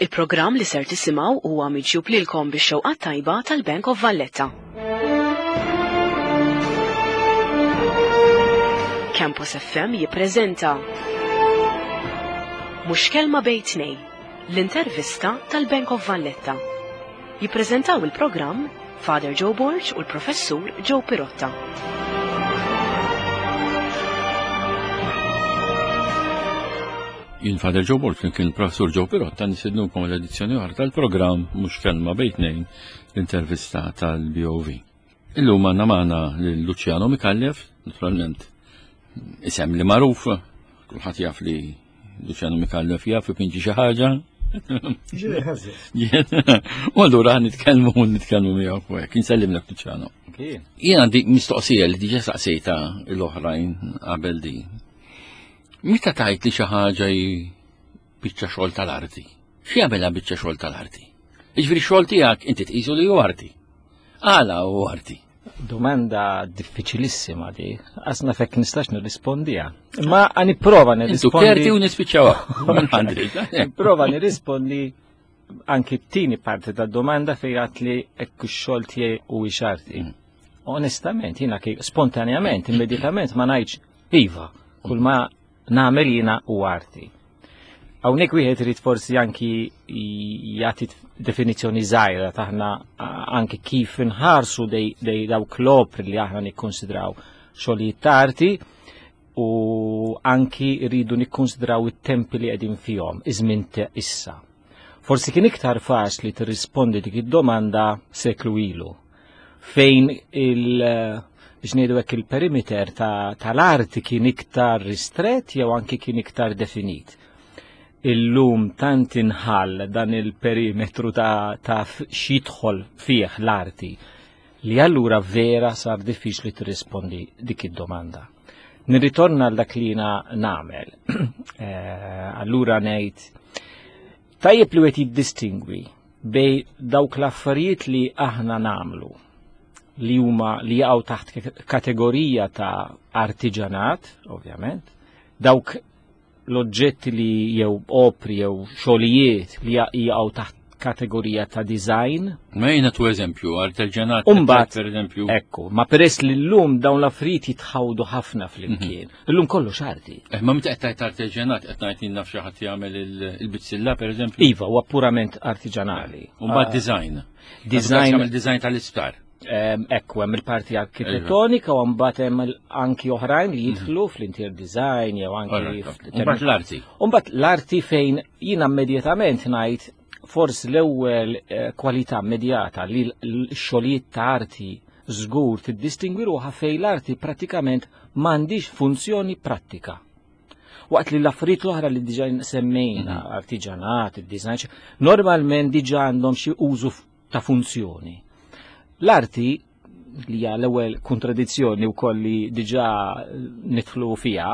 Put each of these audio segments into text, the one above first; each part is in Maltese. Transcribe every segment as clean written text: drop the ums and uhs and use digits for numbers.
Il-programm li ser tisimgħu huwa miġjub lilkom bix-xewqat tajba tal-Bank of Valletta. Campus FM jippreżenta Mhux kelma bejn tnejn, l-intervista tal-Bank of Valletta. Jippreżentaw il-programm Father Joe Borg u l-Professur Joe Pirotta. Jien Father Joe Borg kien il-Professur Joe Pirotta nisidnukom l-edizzjoni oħra tal-programm mhux kelma bejn tnejn l-intervista tal-BOV. Illum għandna magħna lil Luciano Mikallef, naturalment isem li magħruf, kulħadd jaf li Luciano Mikallef jaf ipinġi xi ħaġa. U allura nitkellmu nitkellmu miegħu fuq hekk. Insellimlek Luciano. Jien għandi mistoqsija li diġà saqsejta l-oħrajn qabel di. Meta tajt li xi ħaġa hi biċċa xogħol tal-arti? X'jagħmilha biċċa xogħol tal-arti? Jiġifieri xogħol tiegħek inti tqisu li hu arti. Għala hu arti? Domanda diffiċilissima di, għasna fekk nistax nirrispondiha. Ma nipprova nirrispondi. Intu kerti u nispiċċawha. Nipprova nirrispondi anki t-tieni parti tad-domanda fejn għat li hekk ix-xogħol tiegħi u arti. Mm. Onestament, jiena spontanjament, immedjatament ma ngħidx Iva, kull ma nagħmel jiena u arti. Hawnhekk wieħed irid forsi anki jagħti definizzjoni żgħira taħna anki kif inħarsu dej, dej dawk l-opri li aħna nikkonsidraw xogħlijiet ta' arti u anki rridu nikkonsidraw it-tempi li qegħdin fihom, iż-żmien issa. Forsi kien iktar faċli tirrispondi dik id-domanda seklu ilu fejn il- biex ngħidu hekk il-perimeter tal-arti kien iktar ristret jew anki kien iktar definit. Illum tant inħall dan il-perimetru ta', ta x'jidħol fih l-arti li allura vera sar diffiċli tirrispondi dik id-domanda. Nirritorna għal dak li jiena nagħmel. Eh, allura ngħid tajjeb li wieħed jiddistingwi bej dawk l-affarijiet li aħna namlu li huma li jaqgħu taħt kategorija ta' artiġanat, ovvjament, dawk l-oġġetti li jew opri jew xogħlijiet li jaqgħu taħt kategorija ta' design. Ma jina tu eżempju, artiġanat. Umbat, per eżempju. Ekku, ma peress li l-lum dawn l-affarijiet jitħawdu ħafna fl-imkien. Mhm. Illum kollox arti. Eh, ma meta qed tgħid artiġanat qed ngħid naf xi ħadd jagħmel il-bizzilla pereżempju. Iva, huwa purament artiġanali. U mbagħad ah. design. Design. Jagħmel design tal-isptar. Ekku, hemm il-parti arkitettonika u mbagħad hemm anki oħrajn li jidħlu mhm. fl-interior design jew anki. Mbagħad l-arti. U mbagħad l-arti fejn jiena immedjatament ngħid forsi l-ewwel eh, kwalità immedjata li l-xogħlijiet ta' arti żgur tiddistingwi ruħha fejn l-arti prattikament m'għandix funzjoni prattika. Waqt li l-affarijiet l-oħra li diġà semmejna, mhm. artiġanat, id-design, normalment diġà għandhom xi użu ta' funzjoni. L-arti li hija l-ewwel kontradizzjoni wkoll li diġà nidħlu fiha,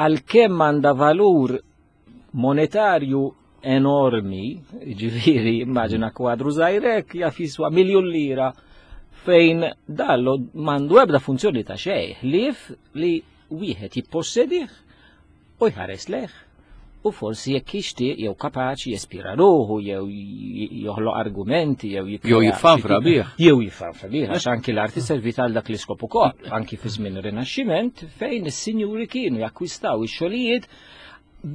għalkemm għandha valur monetarju enormi, ġifieri immaġina kwadru żgħirek jaf jiswa miljun lira fejn dallo mandu ebda funzjoni ta' xejn, ħlief li wieħed jippossedih u jħares leh u forsi jekk jixtieq jew kapaċi jespira ruħu jew joħloq argumenti jew jew jiffanfra bih. Jew jiffanfra bih għax anki l-arti servit għal dak l-iskop ukoll, anki fi żmien ir-Rinaxximent fejn is-sinjuri kienu jakkwistaw ix-xogħlijiet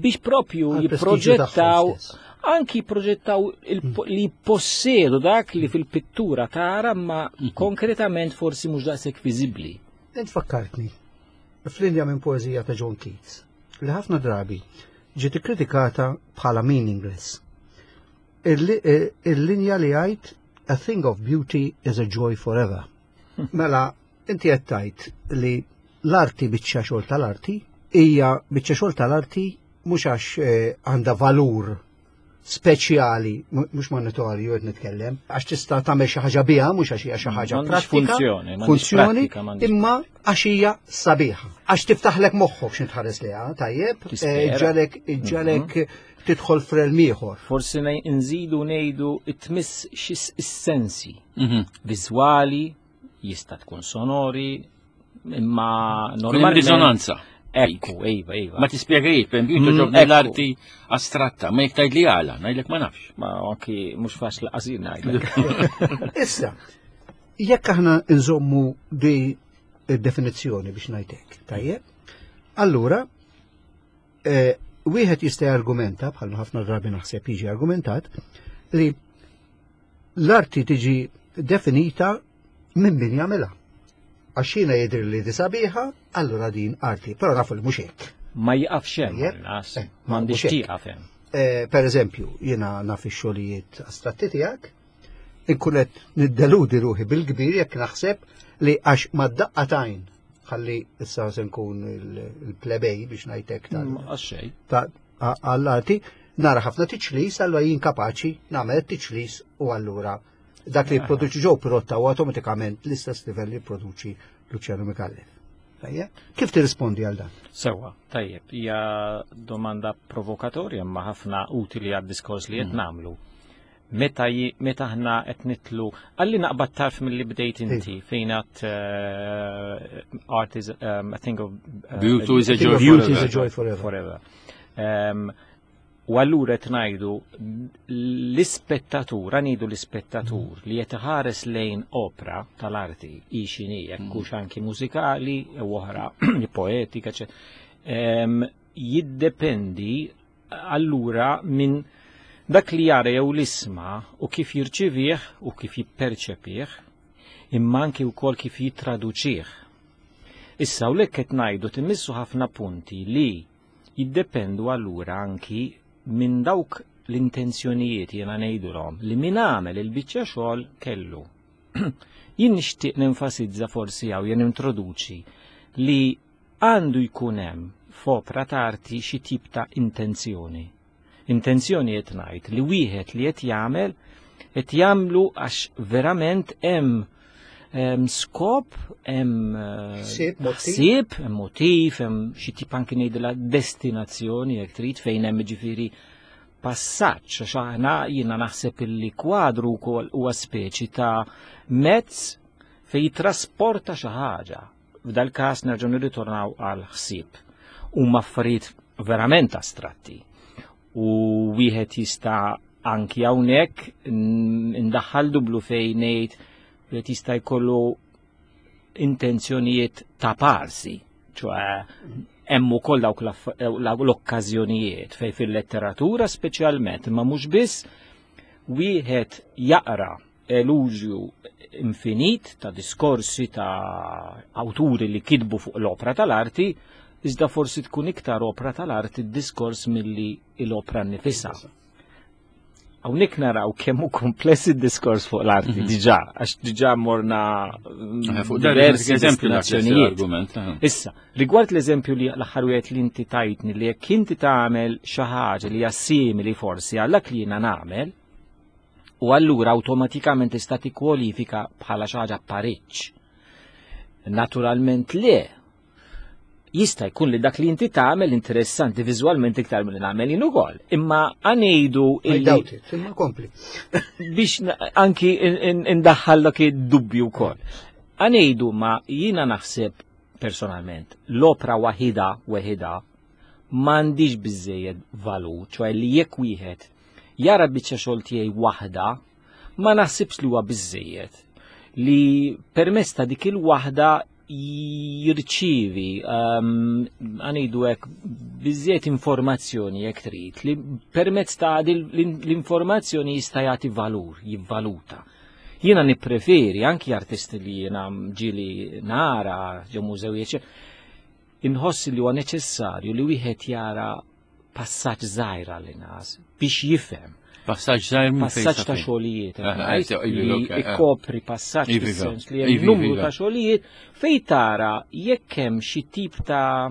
biex propju jipproġettaw anki proġettaw hmm. li possedu dak li fil-pittura tara ma hmm. konkretament forsi mhux daqshekk viżibbli. Int fakkartni f'linja minn poeżija ta' John Keats li ħafna drabi ġiet ikkritikata bħala meaningless. Eh, il-linja li għajt A thing of beauty is a joy forever. Hmm. Mela, inti qed tgħid li l-arti biċċa xogħol tal-arti hija biċċa xogħol tal-arti mhux għax eh, għandha valur speċjali, mhux monetarju qed nitkellem, għax tista' tagħmel xi ħaġa biha, mhux għax hija xi ħaġa pratika. Funzjoni, funzjoni, imma għax hija sabiħa. Għax tiftaħlek moħħok x'int tħares liha, tajjeb, eh, ġalek ġalek mhm. tidħol frel ieħor. Forsi nżidu ngħidu tmiss xi sensi mhm. viżwali, jista' tkun sonori, imma normalment. Risonanza. Ekku, iva, iva. Ma tispjegajiet, per esempio, toġobni l-arti astratta, ma jekk tgħid li għala, ngħidlek ma nafx. Ma anki mhux faċli qasir ngħidlek. Issa, jekk aħna nżommu di definizzjoni biex ngħidlek, tajjeb? Allura, eh, wieħed jista' jargumenta, bħal ħafna drabi naħseb jiġi argumentat, li l-arti tiġi definita minn min jagħmilha. Għax jiena jidher li di sabiħa, allura din arti, però nafu li mhux hekk. Ma jiqafx hemm, eh, m'għandix tieqaf hemm. Eh, per eżempju, jiena naf ix-xogħlijiet astratti tiegħek, inkun qed niddeludi ruħi bil-kbir jekk naħseb li għax mad-daqqa tajn ħalli issa se nkun il-plebej biex ngħidlek tal. Mm, Għall-arti, nara ħafna tiċlis, allura jien kapaċi nagħmel tiċlis u allura dak li jipproduċi ġew pirotta u automatikament l-istess livell li jipproduċi Luciano Micallef. Kif tirrispondi għal dan? Sewa, tajjeb, hija domanda provokatorja imma ħafna utili għad-diskors li qed mm. nagħmlu. Meta meta aħna qed nitlu, għalli naqbad tarf mill-li bdejt inti fejn għat eh, art is um, a thing of uh, beauty is a joy beauty is a joy forever. forever. Um, U allura qed ngħidu l-ispettatur, ngħidu l-ispettatur li qed iħares lejn opra tal-arti hi x'inhi jekk mm. hux anki mużikali u oħra poetika, jiddependi allura minn dak li jara jew l-isma u kif jirċivih u kif jipperċepih, imma anki wkoll kif jittraduċih. Issa u qed ngħidu timmissu ħafna punti li jiddependu allura anki minn dawk l-intenzjonijiet jiena ngħidulhom li min għamel il-biċċa xogħol kellu. Jien nixtieq nenfasizza forsi hawn jien introduċi li għandu jkun hemm f'opra ta' arti xi tip ta' intenzjoni. Intenzjoni qed ngħid li wieħed li qed jagħmel qed jagħmlu għax verament hemm skop, hemm eh, ħsieb, hemm motiv, hemm xi tip anki ngħidilha destinazzjoni jekk trid fejn hemm ġifieri passaġġ għax aħna jiena naħseb illi kwadru wkoll huwa speċi ta' mezz fejn jitrasporta xi ħaġa. F'dal-każ nerġgħu nirritornaw għal ħsieb. Huma affarijiet verament astratti. U wieħed jista' anki hawnhekk indaħħal dublu fejn ngħid wieħed jista' jkollu intenzjonijiet ta' parsi, ċoħe hemm ukoll dawk l-okkażjonijiet fejn fil-letteratura speċjalment, imma mhux biss wieħed jaqra eluġju infinit ta' diskorsi ta' awturi li kitbu fuq l-opra tal-arti, iżda forsi tkun iktar opra tal-arti d-diskors milli l-opra nnifisha. Hawnhekk naraw kemm hu kompless id-diskors fuq l-arti mhm. diġà, għax diġà morna eh, fuq diversi destinazzjonijiet. Eh. Issa, rigward l-eżempju li l-aħħar wieħed li inti tajtni li jekk inti tagħmel xi ħaġa li hija simili forsi għal dak li jiena nagħmel, u allura awtomatikament tista' tikkwalifika bħala xi ħaġa pariġġ. Naturalment le. Jista' jkun li dak li inti tagħmel interessanti viżwalment iktar milli nagħmel jien ukoll. Imma għanejdu illi. Imma kompli. Biex anki indaħħal dak id-dubju wkoll. Għanejdu ma jiena naħseb personalment l-opra waħida weħida m'għandix biżejjed valur, ċoħe li jekk wieħed jara biċċa xogħol tiegħi waħda, ma naħsibx li huwa biżejjed li permezz ta' dik il-waħda jirċivi ehm, għanidu hekk biżejjed informazzjoni jekk trid li permezz ta' l-informazzjoni jista' jagħti valur, jivvaluta. Jiena nippreferi anki artisti li jiena ġili nara ġo mużewijiet Inħoss li huwa neċessarju li wieħed jara passaġġ żgħir għall-inqas biex jifhem. Passaġġ żgħir minn passaġġ ta' xogħlijiet. Eh, eh, li eh. ikkopri passaġġ fis-sens li hemm numru ta' xogħlijiet fejn tara jekk hemm xi tip ta'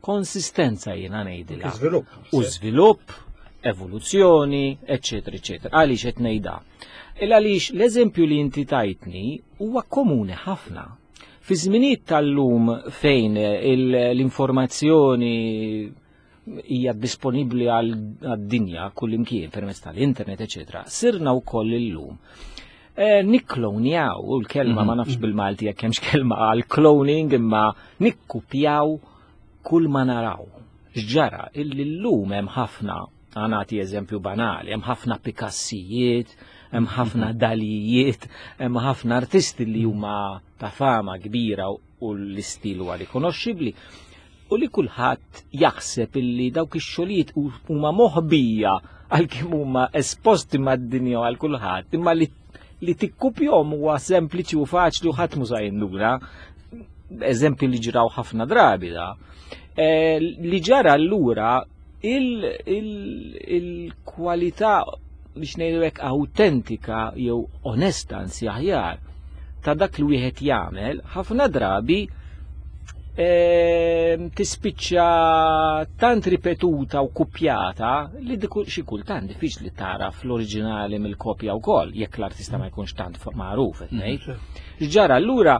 konsistenza jiena ngħidilha. U żvilupp, evoluzzjoni, eċetera, eċetera. Għaliex qed ngħidha? Il għaliex l-eżempju li inti tajtni huwa komuni ħafna Fi żminijiet tal-lum fejn l-informazzjoni hija disponibbli għad-dinja kullimkien permezz tal-internet, eċetera, sirna wkoll illum. Eh, nikklonjaw, u l-kelma ma nafx mhm. bil-Malti jekk hemmx kelma għal cloning imma nikkupjaw Kull ma naraw. X'ġara illi llum hemm ħafna, għanati eżempju banali, hemm ħafna Picassijiet, hemm ħafna Dalijiet, hemm ħafna artisti li huma ta' fama kbira u l-istil huwa rikonoxxibbli u li kulħadd jaħseb illi dawk ix-xogħlijiet huma moħbija għalkemm huma esposti mad-dinja għal kulħadd, imma li li tikkupjhom huwa sempliċi u faċli u ħadd mhu jinduna. Eżempju li ġraw ħafna drabi da. E, li ġara allura il-kwalità biex ngħidu hekk autentika jew onesta anzi aħjar ta' dak li wieħed jagħmel ħafna drabi tispiċċa tant ripetuta u kupjata li xi kultant diffiċli tara fl-oriġinali mill-kopja wkoll jekk l-artista ma jkunx tant magħruf qed ngħid. Ġara allura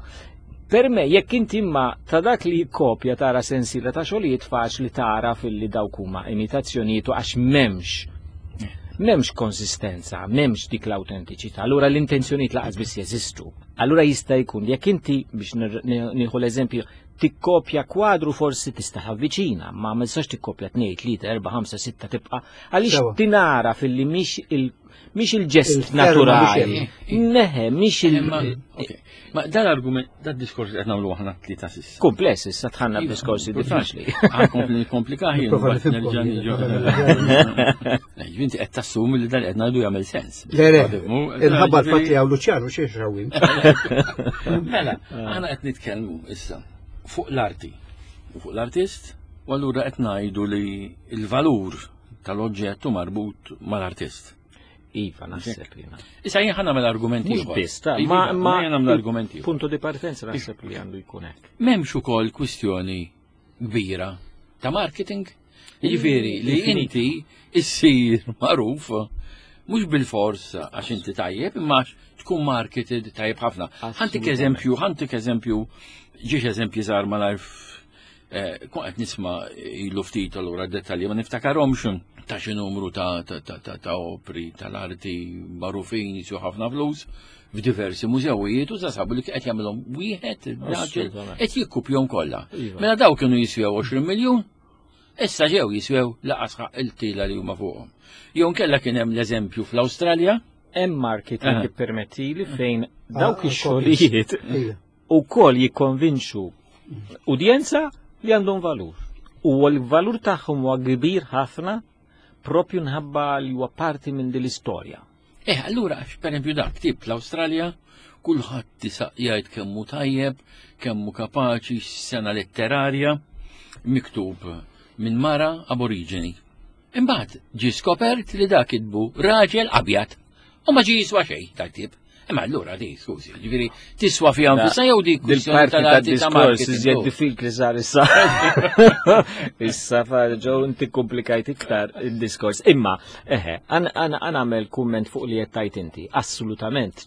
per me jekk inti imma ta' dak li kopja tara sensiela ta' xogħlijiet faċli tara fil-li dawk huma imitazzjonijiet u għax m'hemmx konsistenza, m'hemmx dik l-autentiċità. Allura l-intenzjonijiet laqas biss jeżistu. Allura jista' jkun jekk inti biex nieħu l-eżempju tikkopja kwadru forsi tista' tavviċina, ma ma tistax tikkopja 2, 3, 4, 5, 6 tibqa' għaliex tinara filli mhix il mhix il-ġest naturali. Neħe, mhix il Ma dan l-argument, dan diskors li qed nagħmlu aħna tlieta s'issa. Kumpless, issa tħanna iva, b'diskorsi diffiċli. Kompli komplika ħin. Inti qed tassumi li dan qed ngħidu jagħmel sens. Le, le, il-ħabba l-fatt li hawn Luċjanu xi xrawin. Mela, aħna qed nitkellmu issa fuq l-arti u fuq l-artist, u allura qed ngħidu li l-valur tal-oġġett hu marbut mal-artist. Iva, naħseb li. Issa jien ħa nagħmel argumenti. Mhux biss, ta' ma iva, ma nagħmel argumenti. Punto di partenza naħseb li għandu jkun hekk. M'hemmx ukoll kwistjoni kbira ta' marketing. Jiġifieri li inti issir magħruf mhux bil-fors għax inti tajjeb, imma tkun marketed tajjeb ħafna. Ħantik eżempju, ħantik eżempju, ġiex eżempji żgħar malajr Eh, Kun qed nisma' ilu ftit allura dettalji ma niftakarhomx ta' xi numru ta' ta' opri tal-arti magħrufin jiswew ħafna flus f'diversi mużewijiet u sabu li qed jagħmilhom wieħed raġel qed jikkupjhom kollha. Iva. Mela daw kienu jiswew 20 miljun, issa ġew jiswew laqas il-tila li huma fuqhom. Jew nkella kien hemm l-eżempju fl-Awstralja. Hemm marketing ippermettili fejn dawk ah, ix-xogħlijiet ukoll jikkonvinċu udjenza li għandhom valur. U l-valur tagħhom huwa kbir ħafna propju nħabba li huwa parti minn din l-istorja. Eh, allura, per esempio dak tip l-Awstralja, kulħadd jgħid kemm hu tajjeb, kemm hu kapaċi sena letterarja, miktub minn mara aboriġini. Imbagħad ġie skopert li dak kitbu raġel abjad u ma ġie jiswa xejn dak tip. Imma allura di, skużi, ġifieri tiswa fiha nfisha jew dik kwistjoni tal-diskors iżjed diffiċli sar issa. Issa ġew inti komplikajt iktar il-diskors. Imma, eħe, għan għamel kumment fuq li qed tajt inti, assolutament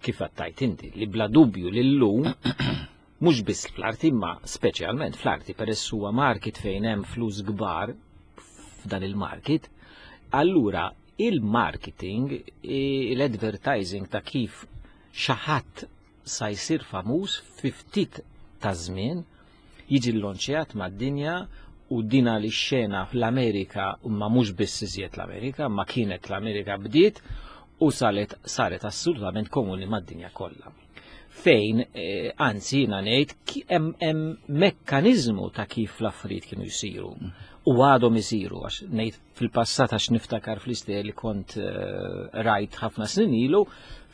kif qed tajt inti, li bla dubju li llum mhux biss fl-arti imma speċjalment fl-arti peress huwa market fejn hemm flus kbar f'dan il-market, allura il-marketing, l-advertising ta' kif xi ħadd sa jsir famuż fi ftit ta' żmien jiġi llonċjat mad-dinja u dina li xena fl-Amerika ma mhux biss iżjed l-Amerika, ma kienet l-Amerika bdiet u saret saret assolutament komuni mad-dinja kollha. Fejn, eh, anzi jiena ngħid hemm mekkaniżmu ta' kif l-affarijiet kienu jsiru u għadhom isiru għax ngħid fil-passat għax niftakar fl-istej li kont eh, rajt ħafna snin ilu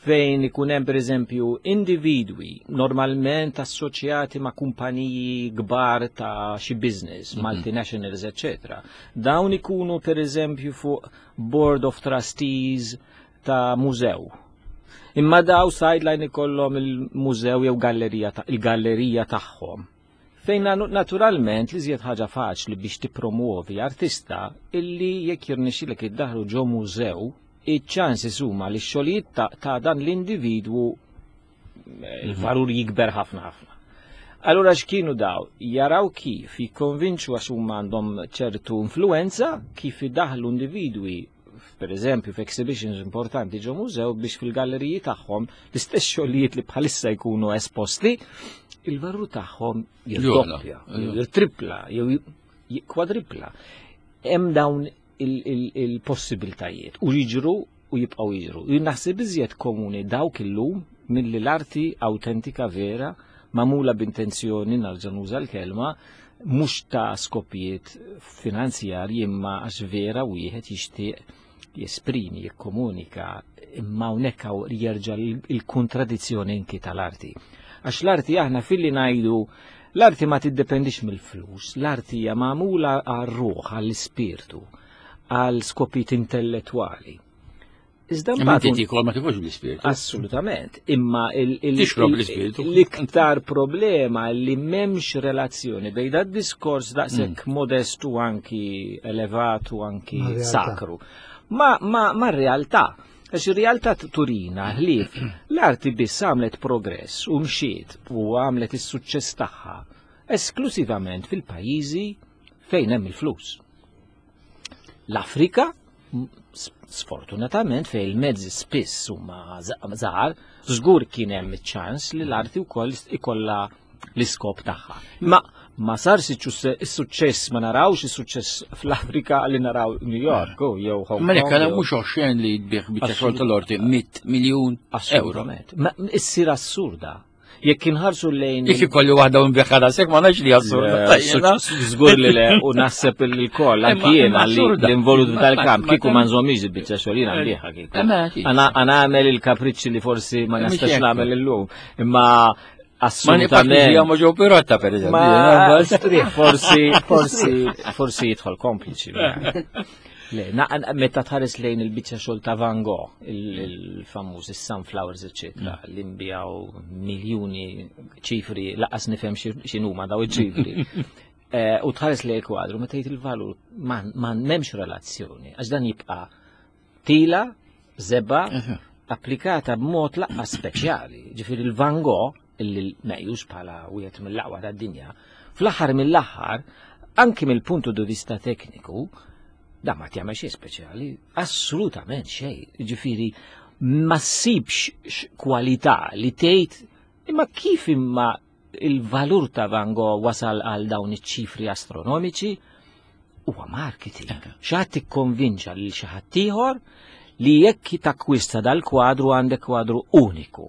fejn ikun hemm pereżempju individwi normalment assoċjati ma' kumpaniji kbar ta' xi business, multinationals, etc. Dawn ikunu pereżempju fuq board of trustees ta' mużew. Imma daw sideline ikollhom il-mużew jew gallerija ta' il-gallerija tagħhom. Fejn naturalment li żjed ħaġa faċli biex tippromuovi artista illi jekk jirnexxilek iddaħlu ġo mużew, iċ-ċansi huma li x-xogħlijiet ta' dan l-individwu eh, il-valur jikber ħafna ħafna. Allura x'kienu daw? Jaraw kif jikkonvinċu għax huma għandhom ċertu influenza kif idaħlu individwi. per eżempju, f'exhibitions importanti ġo mużew biex fil-galleriji tagħhom l-istess xogħlijiet li bħalissa jkunu esposti, il-valur tagħhom jirdoppja, jew jirtripla, jew kwadripla. Hemm dawn il-possibiltajiet u jiġru u jibqgħu jiġru. Jien naħseb iżjed komuni dawk illum milli l-arti awtentika vera magħmula b'intenzjoni narġa' nuża l-kelma mhux ta' skopijiet finanzjarji imma għax vera wieħed jixtieq jesprimi, jikkomunika, imma hawnhekk hawn jerġa' il-kontradizzjoni inki tal-arti. Għax l-arti aħna filli ngħidu l-arti ma tiddependix mill-flus, l-arti hija magħmula għar-ruħ, għall-ispirtu, għal skopijiet intellettwali. Iżda mbagħad inti tikol ma tikolx bl-ispirtu. Assolutament, imma tixrob l-ispirtu. L-iktar problema li m'hemmx relazzjoni bejn dat diskors daqshekk mm. modestu anki elevatu anki sakru. Ma ma ma realtà. Għax ir-realtà turina ħlief l-arti biss għamlet progress u mxiet u għamlet is-suċċess tagħha esklusivament fil-pajjiżi fejn hemm il-flus. L-Afrika, sfortunatament fejn il-mezzi spiss huma żgħar, żgur kien hemm iċ-ċans li l-arti wkoll ikollha l-iskop tagħha. Ma ma sarx is-suċċess ma narawx is-suċċess fl-Afrika li naraw New York u jew Hong Kong. Ma jekk mhux oxxen li tbieħ biċċa xogħol tal-orti 100 miljun euro. Ma issir assurda. Jekk inħarsu lejn. Jekk ikolli waħda u nbiħħa rasek ma nafx li assurda. Żgur li le u naħseb il-koll anki jiena li l-involut f'dal-kamp kieku ma nżommix il-biċċa xogħol jiena nbiħha kieku. Ana nagħmel il-kapriċċi li forsi ma nistax nagħmel illum. Imma assolutament. Ma ġew pirotta per eżempju. Forsi, forsi, forsi jidħol kompliċi. Le, meta tħares lejn il-biċċa xogħol ta' Van Gogh, il-famuż is-sunflowers, eċetera, mm. li nbijaw miljuni ċifri, laqas nifhem x'inhuma daw iċ-ċifri. Eh, u tħares lejn il-kwadru, meta jgħid il-valur ma m'hemmx relazzjoni, għax dan jibqa' tila, zeba, applikata b'mod laqas speċjali. Ġifieri il-Van Gogh, illi meqjus bħala wieħed mill-aqwa tad-dinja, fl-aħħar mill-aħħar, anki mill-puntu di vista tekniku, da ma tjagħmel xejn speċjali, assolutament xejn. Ġifieri ma ssibx kwalità li tgħid imma kif imma il-valur ta' Van Gogh wasal għal dawn iċ-ċifri astronomiċi huwa marketing. Xi ikkonvinċa lil xi ħadd ieħor li jekk takkwista dal-kwadru għandek kwadru uniku.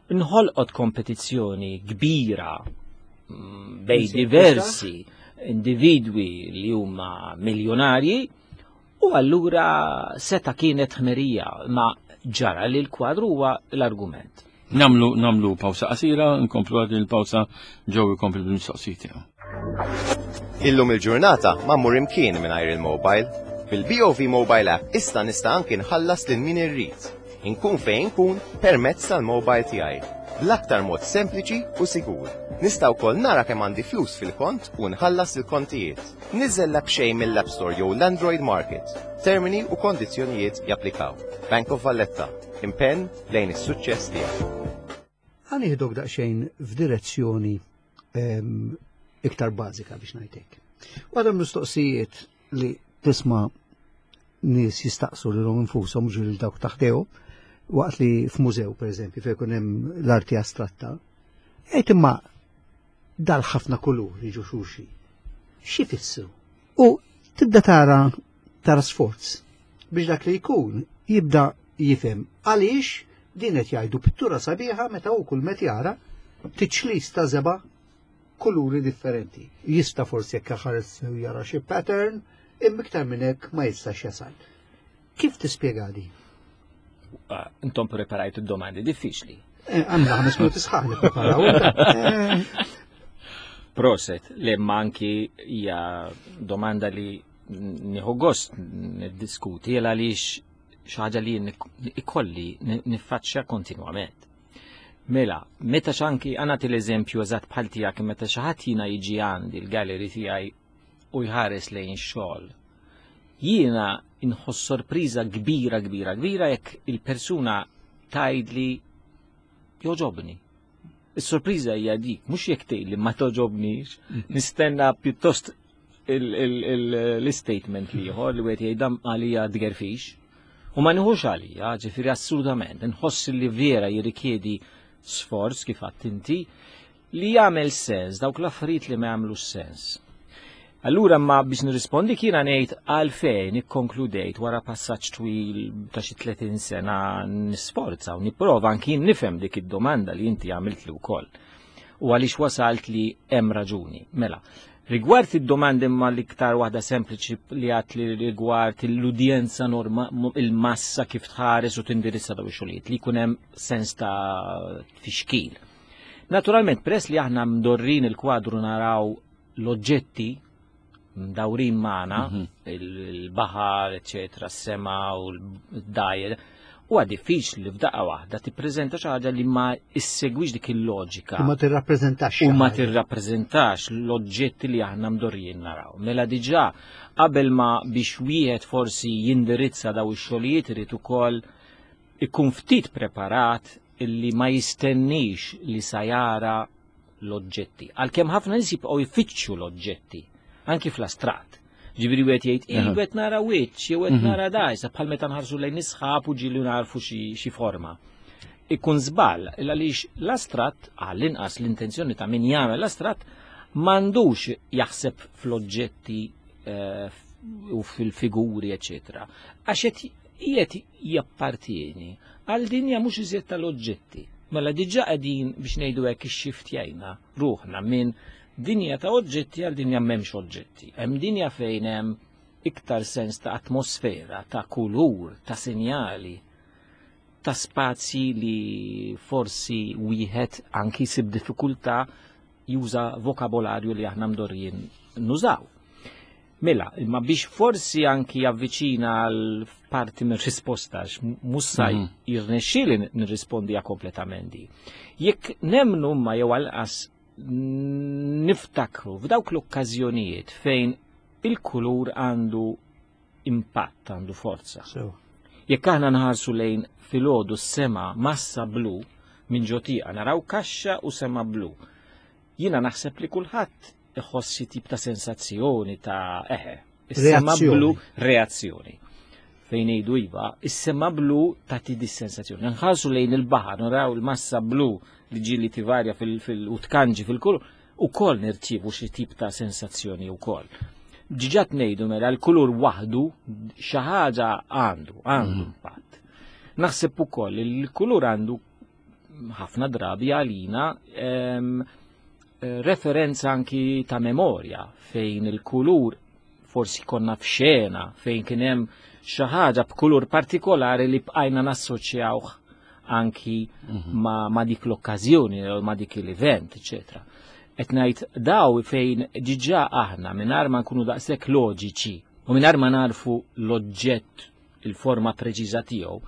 Nħolqot kompetizzjoni kbira mm, bej diversi individwi li huma miljonarji u allura seta kienet ħmerija ma ġara li l-kwadru huwa l-argument. Namlu namlu pawsa qasira, nkomplu għad il-pawsa ġew ikompli bil-mistoqsijiet tiegħu. Illum il-ġurnata ma mmur imkien mingħajr il-mobile. Bil-BOV Mobile App issa nista' anki nħallas lil min irrid. Inkun fejn inkun permezz tal-mobile tiegħi. Bl-aktar mod sempliċi u sigur. Nista' wkoll nara kemm għandi flus fil-kont u nħallas il-kontijiet. Niżel l-app xejn mill-App Store jew l-Android Market. Termini u kondizzjonijiet japplikaw. Bank of Valletta. Impenn lejn is-suċċess tiegħek. Ħa nieħdok daqsxejn f'direzzjoni ehm, iktar bażika biex ngħidlek. Waħda mistoqsijiet li tisma' nies jistaqsu lilhom infushom mhux lil dawk taħtew waqt li f'mużew pereżempju fejn ikun hemm l-arti astratta, jgħid imma dal-ħafna kulur jiġu xulxin. Xi fissru? U tibda tara tara sforz biex dak li jkun jibda jifhem għaliex din qed jgħidu pittura sabiħa meta hu kull met jara tiċlis ta' żeba kuluri differenti. Jista' forsi jekk ħares jara xi pattern, imma iktar minn hekk ma jistax jasal. Kif tispjega di? Ah, intom preparajtu domandi diffiċli. Eh, għandna ħames minuti sħaħ li preparaw. Eh. Proset, li manki hija domanda li nieħu gost niddiskuti għaliex xi ħaġa li ikolli niffaċċja kontinwament. Mela, meta xanki għana l-eżempju eżatt bħal tiegħek meta xi ħadd jiena jiġi għandi l-gallery tiegħi u jħares lejn xogħol. Jiena inħoss sorpriża kbira kbira kbira jekk il-persuna tgħidli joġobni. Is-sorpriża hija dik, mhux jekk tgħidli ma toġobnix, nistenna pjuttost l-statement li ieħor li wieħed jgħid għalija tgerfix. U ma nieħux għalija, ġifieri assolutament, nħoss li vera jirrikjedi sforz kif għadt inti li jagħmel sens dawk l-affarijiet li ma jagħmlux sens. Allura ma biex nirrispondi kiena ngħid għalfejn ikkonkludejt wara passaġġ twil ta' xi 30 sena nisforza u nipprova anki nifhem dik id-domanda li inti għamiltli wkoll. U għaliex wasalt li hemm raġuni. Mela, rigward id-domandi imma l-iktar waħda sempliċi li għat li rigward l-udjenza norma il-massa kif tħares u tindirizza daw ix-xogħlijiet li jkun hemm sens ta' tfixkil. Naturalment, peress li aħna mdorrin il-kwadru naraw l-oġġetti mdawrin magħna, mhm. il-baħar, eċetera, s-sema u l-dajr, huwa diffiċli li f'daqqa waħda tippreżenta xi ħaġa li ma issegwix dik il-loġika. U ma tirrappreżentax. U ma tirrappreżentax l-oġġetti li aħna mdorrijin naraw. Mela diġà qabel ma biex wieħed forsi jindirizza daw ix-xogħlijiet irid ukoll ikun ftit preparat illi ma jistennix li sa jara l-oġġetti. Għalkemm ħafna nies jibqgħu jfittxu l-oġġetti, anki fl-astrat. Ġifieri wieħed jgħid, "Ej, qed nara wiċċ, jew qed mhm. nara dajsa bħal meta nħarsu lejn isħab u ġieli narfu xi forma. Ikun żball għaliex l-astrat għall-inqas l-intenzjoni ta' min jagħmel l-astrat m'għandux jaħseb fl-oġġetti eh, u fil-figuri, eċetera. Għax qed qiegħed jappartieni għal dinja mhux iżjed tal-oġġetti. Mela diġà qegħdin biex ngħidu hekk ixxiftjajna ruħna minn dinja ta' oġġetti għal dinja m'hemmx oġġetti. Hemm dinja fejn hemm iktar sens ta' atmosfera, ta' kulur, ta' sinjali, ta' spazji li forsi wieħed anki jsib diffikultà juża vokabolarju li aħna mdorrijin nużaw. Mela, imma biex forsi anki javviċina għal parti minn risposta, mussa mm. jirnexxieli nirrispondi kompletament di. Jekk nemnu ma jew għalqas niftakru f'dawk l-okkażjonijiet fejn il-kulur għandu impatt, għandu forza. So. Jekk aħna nħarsu lejn filgħodu s-sema massa blu minn ġotieqa naraw kaxxa u sema blu. Jiena naħseb li kulħadd iħoss xi tip ta' sensazzjoni ta' eħe. Is-sema blu reazzjoni. Fejn ngħidu iva, is-sema blu tagħti di sensazzjoni. Nħarsu lejn il-baħar, naraw il-massa blu li ġieli tivarja fil u tkanġi fil-kulur, ukoll nirċievu xi tip ta' sensazzjoni wkoll. Ġiġat ngħidu mela l-kulur waħdu xi ħaġa għandu, għandu mm. impatt. Naħseb ukoll li l-kulur għandu ħafna drabi għalina ehm, eh, referenza anki ta' memorja fejn il-kulur forsi konna f'xena fejn kien hemm xi ħaġa b'kulur partikolari li bqajna nassoċjawh anki mhm. ma, ma dik l-okkażjoni ma dik l-event, eċetera. Qed ngħid daw fejn diġà aħna mingħajr ma nkunu daqshekk loġiċi u mingħajr ma narfu l-oġġett il-forma preċiża tiegħu,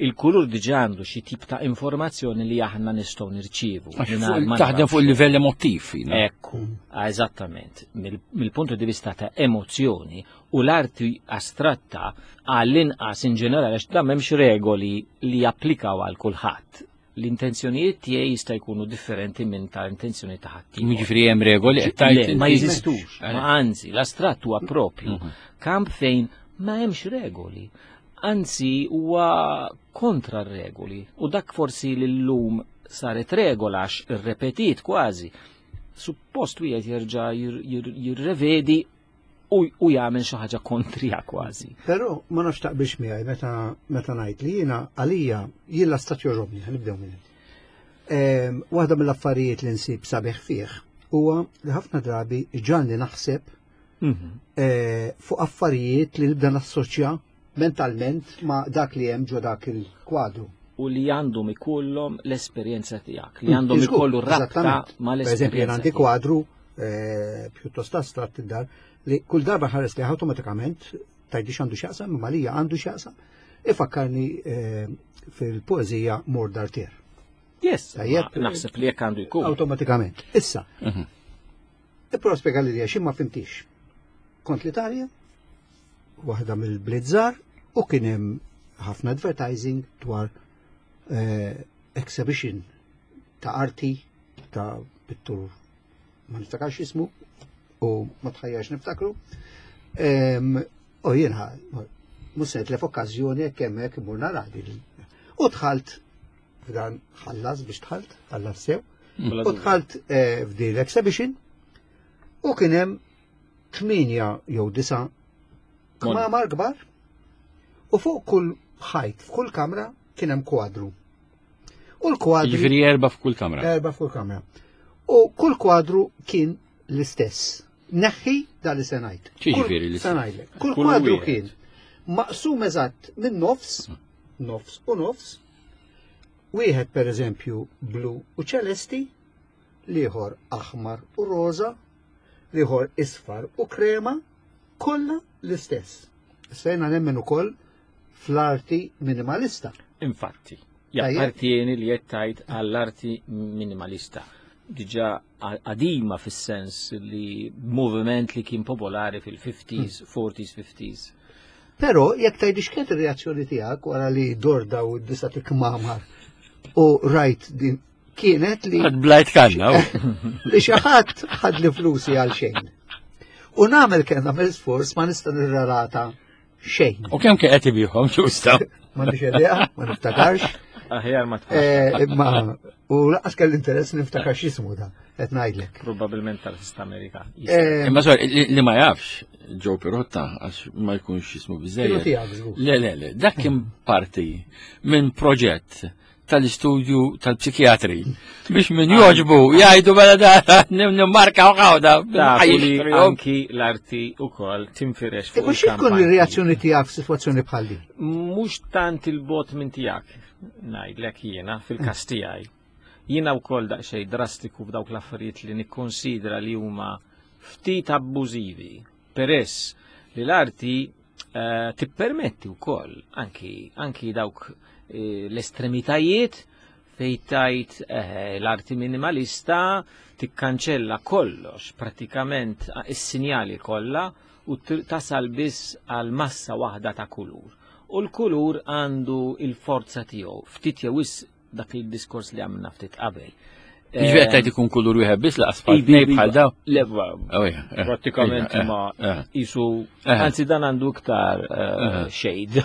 il-kulur diġà għandu xi tip ta' informazzjoni li aħna nistgħu nirċievu. Taħdem fuq il-livell emotiv. Ekku, eżattament. Mill-puntu di vista ta' emozzjoni u l-arti astratta għall-inqas in ġenerali għax da m'hemmx regoli li japplikaw għal kulħadd l-intenzjonijiet tiegħi jista' jkunu differenti minn ta' intenzjoni ta' ħadd. Jiġifieri hemm regoli qed tgħid ma jeżistux. Ma anzi, l-astratt huwa propju mhm. kamp fejn ma hemmx regoli. Anzi huwa kontra r-regoli u dak forsi li llum saret regola għax irrepetit kważi. Suppost wieħed jerġa' jirrevedi u jagħmel xi ħaġa kontrija kważi. Però ma nafx taqbilx miegħi meta meta ngħid li jiena għalija jien l-astat jogħġobni, ħanibdew minn hemm. Waħda mill-affarijiet li nsib sabiħ fih huwa li ħafna drabi ġalni naħseb mhm. eh, fuq affarijiet li nibda nassoċja mentalment ma dak li hemm ġo dak il-kwadru. U li għandhom ikollhom l-esperjenza tiegħek, li għandhom ikollu rabta ma l-esperjenza. Per eżempju, għandi kwadru eh, pjuttost astratt id-dar li kull darba ħares li awtomatikament tajdix għandu x'jaqsam, imma lija għandu x'jaqsam, ifakkarni eh, fil-poeżija Mor Dartier. Yes, naħseb li jekk għandu jkun. Awtomatikament. Issa, mhm. Ipprova spjega li għax ma fimtix. Kont l-Italja, waħda mill-blizzar, u kien hemm ħafna advertising dwar eh, exhibition ta' arti ta' pittur ma niftakarx ismu u ma tħajjax niftakru. U jiena Mhux se nitlef okkażjoni jekk hemmhekk imur nara din. U dħalt f'dan ħallas biex dħalt, ħallas sew. U dħalt eh, f'din l-exhibition u kien hemm tminja jew disa' kmamar kbar u fuq kull ħajt f'kull kamra kien hemm kwadru. U l-kwadru. Jiġifieri erba' f'kull kamra. Erba' f'kull kamra. U kull kwadru kien l-istess. Neħħi da li se ngħid. Ġifieri l-istess. Kull kwadru kien maqsum eżatt minn nofs, nofs u nofs, wieħed per eżempju blu u ċelesti, liħor aħmar u roza, liħor isfar u krema, kollha l-istess. Sejna nemmen ukoll fl-arti minimalista. Infatti, jappartieni li qed tgħid għall-arti minimalista. Diġà qadima fis-sens li moviment li kien popolari fil-50s, 40s, 50s. Però jekk tgħidli x'kienet ir-reazzjoni tiegħek wara li dor daw id-disa tikmamar u rajt din kienet li. Għad blajt kanna. Li xi ħadd ħad li flusi għal xejn. U nagħmel kemm nagħmel sforz ma nista' nirrelata xejn. U kemm kien qed ibihom ġusta? Ma nix idea, ma niftakarx. Aħjar ma eh, Imma u laqas kelli interess niftakar x'ismu da, qed ngħidlek. Probabbilment tal-Sista Amerika. Eh, Imma sor, li ma jafx Joe Pirotta għax ma jkunx jismu biżejjed. Le, le, le, dak kien parti minn proġett tal-istudju tal-psikjatri biex min joġbu jgħidu mela da nimmarka u għawda. Anki l-arti u kol tinfirex fuq. Mux tkun il-reazzjoni tijak f'sitwazzjoni bħal din? Mux tant il-bot minn tijak, ngħidlek jiena fil-kas tiegħi. Jiena wkoll daqsxejn drastiku f'dawk l-affarijiet li nikkonsidra li huma ftit abbużivi, peress li l-arti eh, tippermetti wkoll anki, anki dawk eh, l-estremitajiet fej tajt eh, l-arti minimalista tikkanċella kollox, pratikament is-sinjali kollha u tasal biss għal massa waħda ta' kulur. U l-kulur għandu il-forza tiegħu, ftit jew dak il-diskors li għamilna ftit qabel. Jiġifieri qed tgħid ikun kulur wieħed biss laqas bħal tnej bħal daw. Le, oh, eh, prattikament eh, ma eh. jisu, anzi dan għandu iktar shade.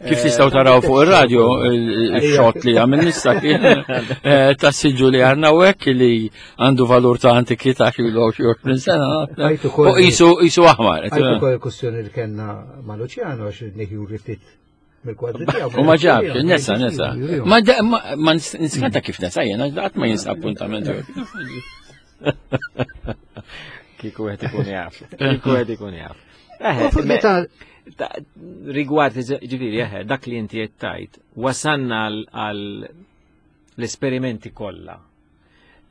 Kif tistgħu taraw fuq ir-radio il-xot li għamil nista kien ta' siġu li għandna u hekk li għandu valur ta' antikità xi 20 sena. U jisu aħmar. Għajtu kol il-kustjoni li kellna ma' Luciano għax nihjuri ftit mill-kwadri tiegħu. U ma ġabx, nesa, nesa. Ma ma niskanta kif nesa jena, qatt ma jinsa appuntament. Kieku qed ikun jaf. Kieku qed ikun jaf. Eh, rigward, ġifieri, eh, dak li inti qed tajt, wasanna għal l-esperimenti kollha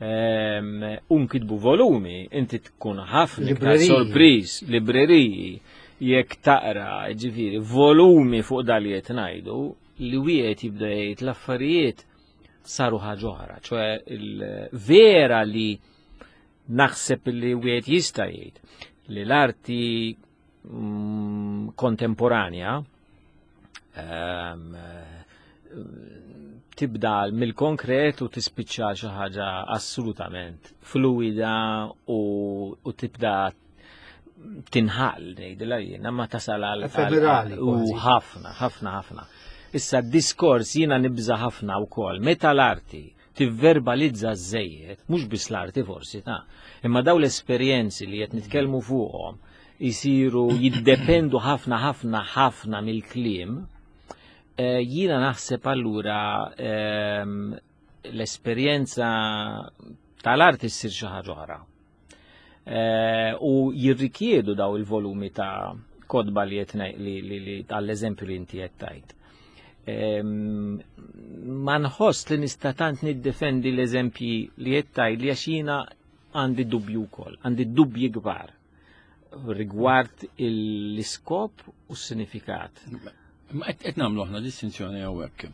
Ehm, unkitbu volumi, inti tkun ħafna iktar sorpriż, libreriji, jekk taqra, ġifieri, volumi fuq dal li qed ngħidu, li wieħed jibda jgħid l-affarijiet saru ħaġa oħra, ċoe vera li naħseb li wieħed jista' jgħid li l-arti mm, kontemporanja ehm, tibda mill-konkret u tispiċċa xi ħaġa assolutament fluida u, u tibda tinħall ngħidilha jiena ma tasal għal u ħafna, ħafna, ħafna. Issa d-diskors jiena nibża ħafna wkoll meta l-arti tivverbalizza żejjed, mhux biss l-arti forsi ta' imma daw l-esperjenzi li qed nitkellmu fuqhom jisiru jiddependu ħafna ħafna ħafna mill-kliem, eh, jiena naħseb allura ehm, l-esperjenza tal-arti ssir xi ħaġa oħra. Eh, u jirrikjedu daw il-volumi ta' kodba li li li għall-eżempju li inti qed tajt. Ehm, ma nħoss li nista' tant niddefendi l-eżempji li qed tajt li għax jiena għandi dubju wkoll, għandi dubji kbar rigward l-iskop u s-sinifikat. Ma qed nagħmlu aħna distinzjoni hawnhekk.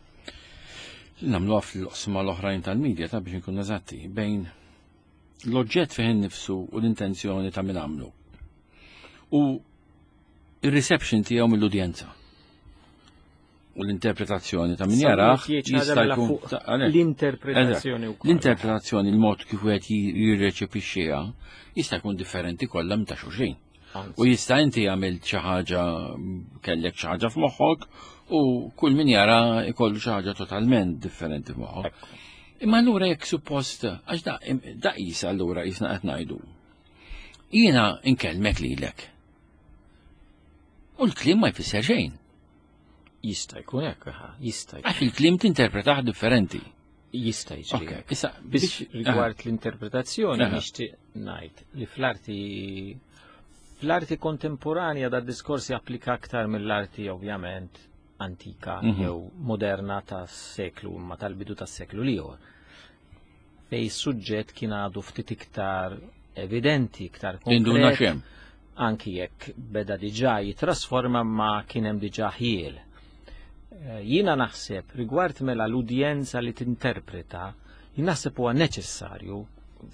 Nagħmluha fl-oqsma l-oħrajn tal-medja ta' biex nkun eżatti bejn l-oġġett fih innifsu u l-intenzjoni ta' min għamlu. U il-reception tiegħu mill-udjenza. U l-interpretazzjoni ta' min jaraħ jista' jkun l-interpretazzjoni wkoll. L-interpretazzjoni, il-mod kif wieħed jirreċepixxiha jista' jkun differenti kollha minn ta' xulxin. U jista' inti għamilt xi ħaġa kellek xi ħaġa f'moħħok u kull min jara jkollu xi ħaġa totalment differenti f'moħħok. Imma allura jekk suppost, għax da, da qis allura qisna qed ngħidu. Jiena nkellmek lilek. U l-kliem ma jfisser xejn. Jista' jkun hekk, jista' jkun. Għax il-kliem tinterpretah differenti. Jista' jiġri. Issa biex rigward l-interpretazzjoni nixtieq ngħid li fl-arti fl-arti kontemporanja da diskors japplika aktar mill-arti ovvjament antika mhm. jew moderna tas-seklu imma tal-bidu tas-seklu l-ieħor. Fej suġġett kien għadu ftit iktar evidenti, iktar konkret. Anki jekk beda diġà jitrasforma ma kien hemm diġà ħjiel. Eh, jiena naħseb rigward mela l-udjenza li tinterpreta, jien naħseb huwa neċessarju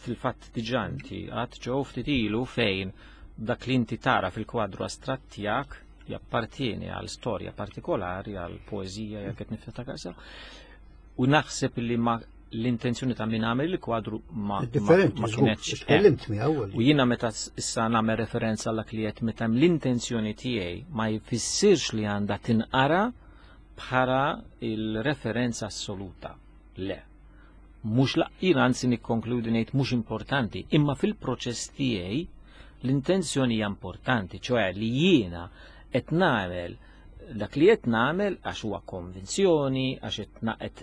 fil-fatt diġà inti għad ġew ftit ilu fejn dak li inti tara fil-kwadru astratt tiegħek jappartieni għal storja partikolari, għal poeżija jekk qed niftakar sew. U naħseb li ma l-intenzjoni ta' min għamel il-kwadru ma Differenti, ma kienx. Tkellimt miegħu. U jiena meta issa nagħmel referenza għal li qed meta l-intenzjoni tiegħi ma jfissirx li għandha tinqara bħala il-referenza assoluta. Le. Mhux jiena anzi nikkonkludi ngħid mhux importanti, imma fil-proċess tiegħi l-intenzjoni hija importanti, ċoħe li jiena qed nagħmel dak li qed nagħmel għax huwa konvinzjoni, għax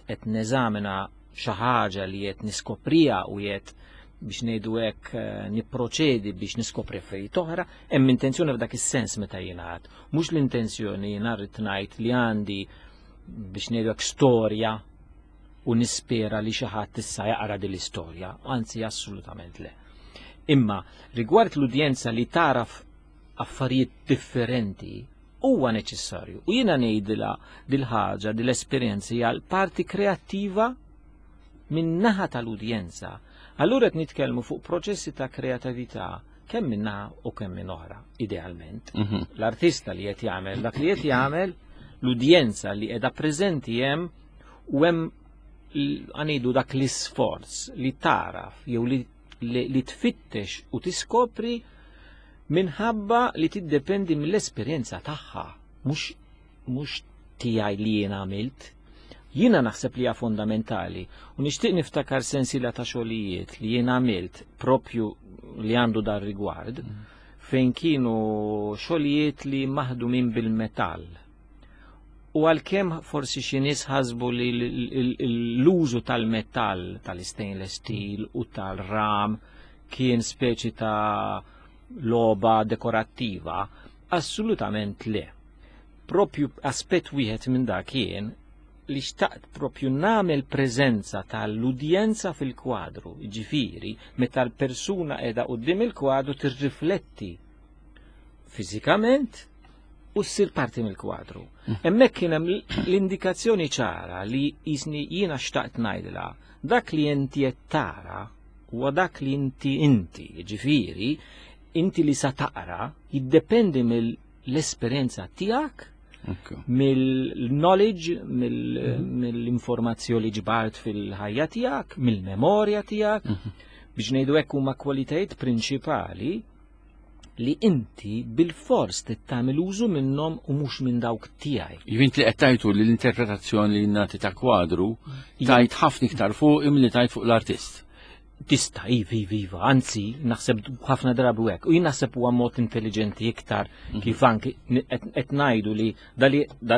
qed neżamina xi ħaġa li qed niskoprija u qed biex ngħidu hekk eh, nipproċedi biex niskopri affarijiet oħra, hemm intenzjoni f'dak is-sens meta jingħad. Mhux l-intenzjoni jiena rrid ngħid li għandi biex ngħidu hekk storja u nispera li xi ħadd issa jaqra din l-istorja, anzi assolutament le. Imma rigward l-udjenza li taraf affarijiet differenti huwa neċessarju. U jiena ngħidilha dil-ħaġa, dil-esperjenza hija l-parti kreattiva minn naħa tal-udjenza. Allura qed nitkellmu fuq proċessi ta' kreatività kemm minn naħa u kemm minn oħra, idealment. Mhm. L-artista li qed jagħmel dak li qed jagħmel, l-udjenza li qiegħda preżenti hemm u hemm għanidu dak l-isforz li taraf jew li, li, li tfittex u tiskopri minħabba li tiddependi mill-esperjenza tagħha, mhux mhux tiegħi li jien għamilt. Jiena naħseb li hija fondamentali u nixtieq niftakar sensiela ta' xogħlijiet li jien għamilt propju li għandu dar rigward mm. fejn kienu xogħlijiet li maħdumin bil-metall. U għalkemm forsi xi nies ħasbu li l-użu tal-metall, tal-stainless steel u tal-ram kien speċi ta' logħba dekorattiva, assolutament le. Propju aspett wieħed minn dak kien li xtaqt propju nagħmel preżenza tal-udjenza fil-kwadru, ġifieri meta l-persuna qiegħda quddiem il-kwadru tirrifletti fiżikament u ssir parti mill-kwadru. Mm. Hemmhekk kien hemm l-indikazzjoni ċara li jisni jiena xtaqt ngħidilha dak li inti qed tara huwa dak li inti inti, ġifieri, inti li sa taqra jiddependi mill-esperjenza tiegħek mill-knowledge, mhm. mill-informazzjoni li ġbart fil-ħajja tiegħek, mill-memorja tiegħek, mhm. biex ngħidu hekk huma kwalitajiet prinċipali li inti bil-fors trid tagħmel użu minnhom u mhux minn dawk tiegħi. Jivint li qed tajtu li l-interpretazzjoni li nagħti ta' kwadru tajt ħafna iktar fuq imli tajt fuq l-artist. Tista' iva, iva, iva, anzi naħseb ħafna drabi hekk. U jien naħseb huwa mod intelligenti iktar mhm. kif anki qed ngħidu li da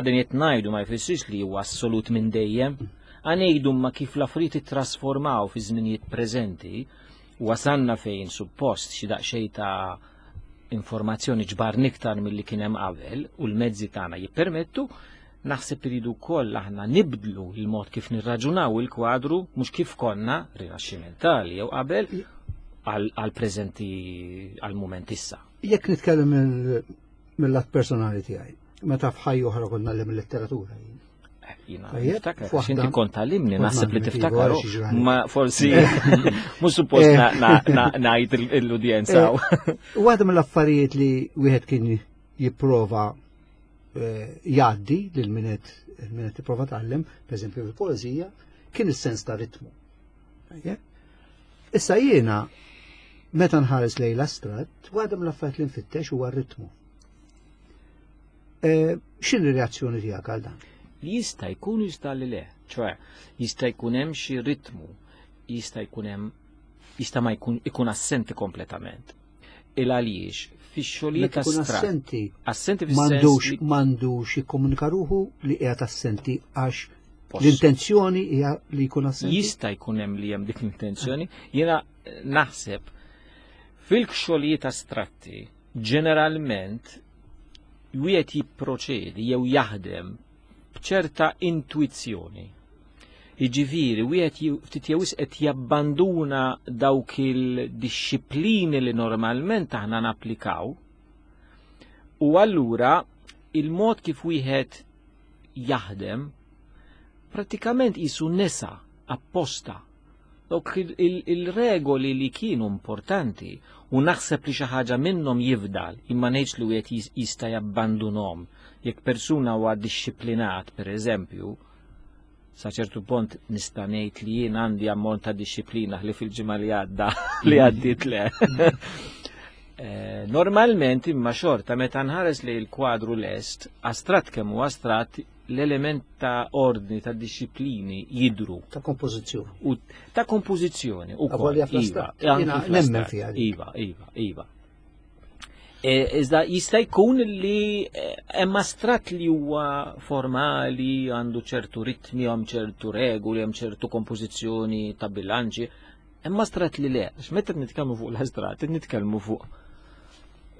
din qed ngħidu ma jfissirx li huwa assolut minn dejjem. Għanejdu ma kif l-affarijiet ittrasformaw fi żminijiet preżenti, Wasalna fejn suppost xi daqsxejn ta' informazzjoni ġbarna iktar milli kien hemm qabel u l-mezzi tagħna jippermettu, naħseb iridu wkoll aħna nibdlu l-mod kif nirraġunaw il-kwadru mhux kif konna rinaxximentali jew qabel għal preżenti għal mument issa. Jekk nitkellem mill-lat personali tiegħi, meta f'ħajja oħra konna nagħllem il-letteratura jien. Jina, niftakar, xinti kont għallimni, naħseb li tiftakar, ma forsi, mux suppost eh. najt l-udjenza. Eh, waħda mill-affarijiet li wieħed kien jipprova eh, jgħaddi lil minet min qed jipprova tgħallem, pereżempju fil-poeżija, kien is-sens ta' ritmu. Issa jiena Meta nħares lejn l-astratt, waħda mill-affarijiet li nfittex huwa r-ritmu. Eh, x'inhi reazzjoni tiegħek għal dan? Li jista' jkun jista' li le, ċoe jista' jkun hemm xi ritmu, jista' jkun hemm jista' ma jkun ikun assenti kompletament. Il għaliex fix-xogħlijiet assenti. Assenti fis-sens m'għandux jikkomunika ruħu li qiegħed assenti għax l-intenzjoni hija li jkun assenti. Jista' jkun hemm li hemm dik l-intenzjoni. Jiena naħseb fil-xogħlijiet astratti ġeneralment wieħed jipproċedi jew jaħdem b'ċerta intwizzjoni. Jiġifieri wieħed ftit jew qed jabbanduna dawk il-dixxiplini li normalment aħna napplikaw u allura il-mod kif wieħed jaħdem prattikament jisu nesa apposta Dawk il-regoli li kienu importanti u naħseb li xi ħaġa minnhom jifdal, imma ngħidx li wieħed jista' jabbandunhom. Jekk persuna huwa dixxiplinat, per eżempju, sa ċertu punt nista' ngħid li jien għandi ammont ta' dixxiplina li fil-ġimgħa li għadda li għaddiet le. Eh, normalment imma xorta meta nħares li l-kwadru lest, astrat kemm huwa astrat, l-element ta' ordni, ta' disciplini jidru. Ta' kompożizzjoni. U ta' kompożizzjoni. U kol, iva, nemmen fiha. Iva, iva, iva. E, iżda jista' jkun li e, hemm astrat li huwa formali, għandu ċertu ritmi, hemm ċertu regoli, hemm ċertu kompożizzjoni ta' bilanċi. Hemm astrat li le, għax meta nitkellmu fuq l-astrat, nitkellmu fuq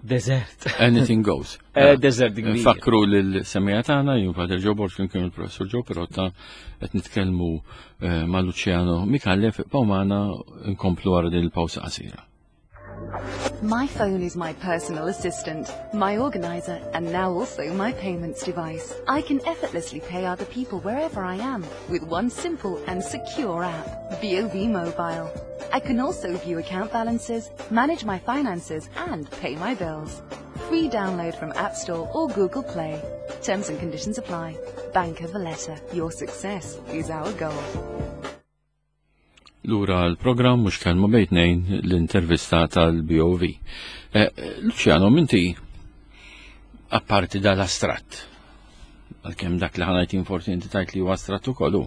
Desert. Anything goes. Eh, desert kbir. Fakru l-semija tagħna jien Pater Joe Borg kien il-Professur Joe Perotta qed nitkellmu eh, ma' Luciano Mikallef Pawmana nkomplu wara din il-pawsa qasira. My phone is my personal assistant, my organizer, and now also my payments device. I can effortlessly pay other people wherever I am with one simple and secure app, BOV Mobile. I can also view account balances, manage my finances, and pay my bills. Free download from App Store or Google Play. Terms and conditions apply. Bank of Valletta, your success is our goal. Lura l-programm mhux kelma bejn tnejn l-intervista tal-BOV. Eh, Luciano, minti apparti dal-astratt, għalkemm dak li ħanajt forsi inti tajt li huwa astratt ukoll,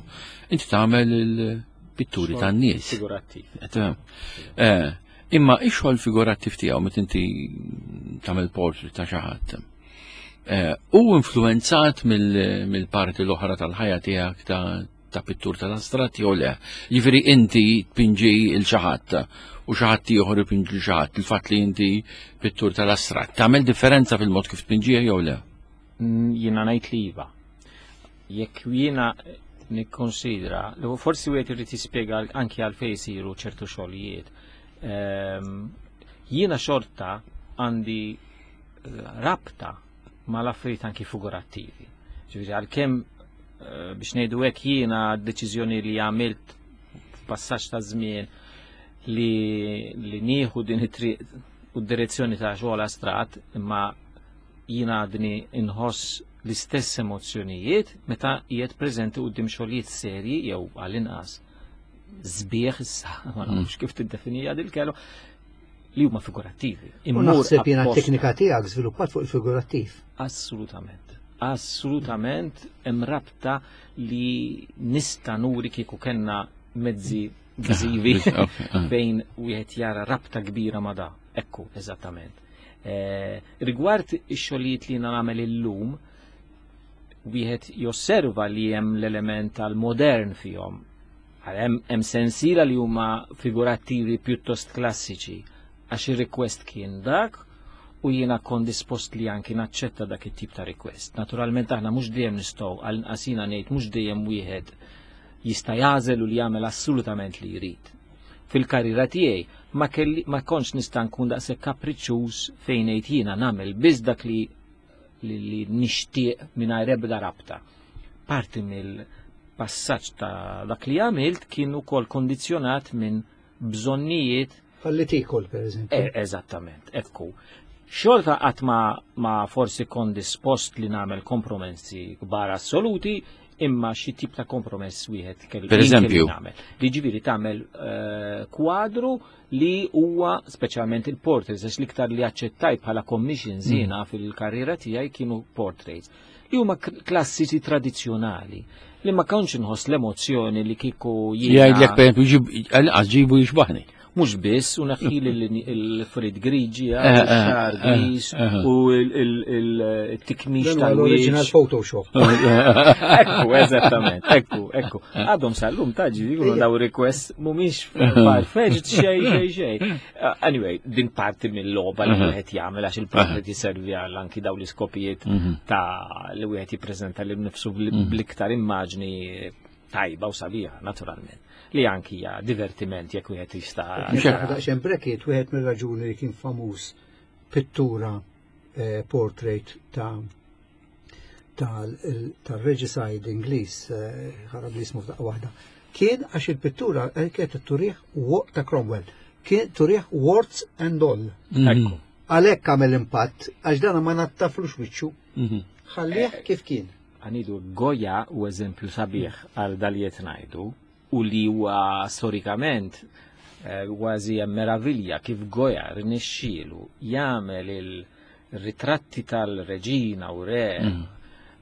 inti tagħmel il-pitturi tan-nies. Figurattiv. Eh, imma ix-xogħol figurattiv tiegħu meta inti tagħmel portrait ta' xi ħadd. Eh, u influenzat mill-parti l-oħra tal-ħajja tiegħek ta' ta' pittur tal-astratti jew le. Jiġifieri inti tpinġi il xi ħadd u xi ħadd ieħor ipinġi l xi ħadd, il-fatt li inti pittur tal-astratt. Tagħmel differenza fil-mod kif tpinġiha jew le? Mm, jiena ngħid li iva. Jekk jiena nikkonsidra, li forsi wieħed irid jispjega anki għalfejn isiru ċertu xogħlijiet. Ehm, jiena xorta għandi eh, rabta mal-affarijiet anki figurattivi. Ġifieri għalkemm eh, biex ngħidu hekk jiena d-deċiżjoni li għamilt f'passaġġ ta' żmien li, li nieħu din it-triq u d-direzzjoni ta' xogħol astrat, imma jiena għadni inħoss l-istess emozzjonijiet meta qiegħed preżenti quddiem xogħlijiet serji jew għall-inqas sbieħ issa, ma nafx kif tiddefinija dil-kelma, li huma figurattivi. U naħseb jiena t-teknika tiegħek żviluppat fuq il-figurattiv. Assolutament. Assolutament hemm rabta li nista' nuri kieku kellna mezzi viżivi ah. fejn wieħed jara rabta kbira ma' da. Ekku, eżattament. Eh, rigward ix-xogħlijiet li nagħmel illum, wieħed josserva li hemm l-element tal-modern fihom Hemm sensiela li huma figurattivi pjuttost klassiċi għax ir-request kien dak u jiena kont dispost li anki naċċetta dak it-tip ta' request. Naturalment aħna mhux dejjem nistgħu għal inqasina ngħid mhux dejjem wieħed jista' jagħżel u li jagħmel assolutament li jrid. Fil-karriera tiegħi ma kelli ma kontx nista' nkun daqshekk kapriċċuż fejn ngħid jiena nagħmel biss dak li li, li nixtieq mingħajr ebda rabta. Parti mill-passaġġ ta' dak li għamilt kien ukoll kondizzjonat minn bżonnijiet Falli tikol, per eżempju. E, eżattament, ekku. Xorta qatt ma, ma forsi kon dispost li nagħmel kompromessi kbar assoluti, Imma xi tip ta' kompromess wieħed kellu. Per eżempju. Li ġifieri tagħmel eh, kwadru li huwa speċjalment il-portraits, għax l-iktar li aċċettajt bħala commissions jiena fil-karriera tiegħi kienu portraits li huma klassiċi tradizzjonali li ma kontx inħoss l-emozzjoni li kieku jiena. Jgħidlek per eżempju għal ġibu jixbaħni. Mhux biss, u naħħili l-frid griġi, eh, eh, xar eh, gris, u il-tikmix tal-original Photoshop. Ekku, eżattament, ekku, ekku. Għadhom sal-lum taġi, jikunu daw request mumiex farfetched xej, xej, xej. Anyway, din parti mill-logħba li wieħed jagħmel għax il-portrait jiservi għal anki daw l-iskopijiet mhm. ta' li wieħed jippreżenta lil nifsu mhm. bl-iktar immaġni tajba u sabiħa, naturalment. Li anki hija divertiment jekk wieħed jista'. Daqsxejn bracket wieħed mir-raġuni li kien famuż pittura eh, portrait ta' tal-regicide Ingliż, eh, ħarab li jismu f'daqqa waħda, kien għax il-pittura eh, kienet turih ta' Cromwell, kien turih warts and all. Mhm. Għalhekk għamel impatt, għax dana ma nattaflux wiċċu. Mhm. Ħallih eh, kif kien. Għanidu Goya u eżempju sabiħ għal daliet ngħidu u li huwa storikament kważi hemm meravilja kif Goya rnexxielu jagħmel il- ritratti tal-reġina u re mm.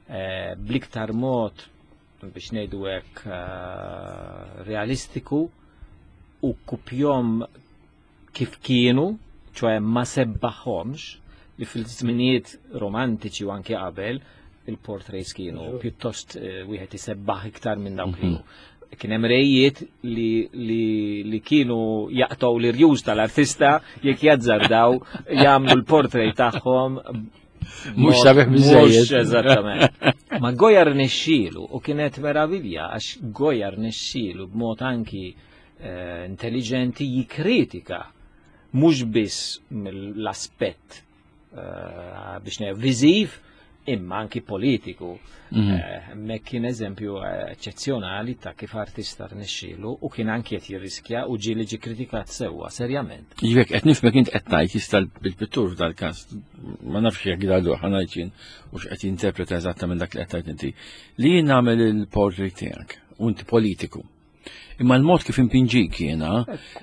eh, bliktar mod biex ngħidu hekk eh, realistiku u kupjom kif kienu, ċoħe ma sebbaħomx li fil-żminijiet romantiċi u anke qabel il-portraits kienu pjuttost eh, wieħed isebbaħ iktar minn dawk li mhm. Kien hemm rejiet li, li, li kienu jaqtgħu l-irjus tal-artista jekk jazzardaw jagħmlu l-portrait tagħhom Mux sabiħ biżejjed. Eżattament. Ma Goya rnexxielu u kienet meravilja għax Goya rnexxielu b'mod anki eh, intelligenti jikkritika mhux biss mill-aspett eh, biex ngħid viżiv imma anki politiku. Mhm. Eh, hemmhekk kien eżempju eh, eċċezzjonali ta' kif artista rnexxielu u kien anki qed jirriskja u ġieli ġi kritikat sewwa serjament. Ġifieri qed nifhmek int qed tgħid jista' bil-pittur f'dal-każ ma nafx jekk dal ħanajt jien u x'qed jinterpreta eżattament dak li qed tgħid inti. Li jien nagħmel il-portrait tiegħek u inti politiku. Imma l-mod kif impinġik jiena,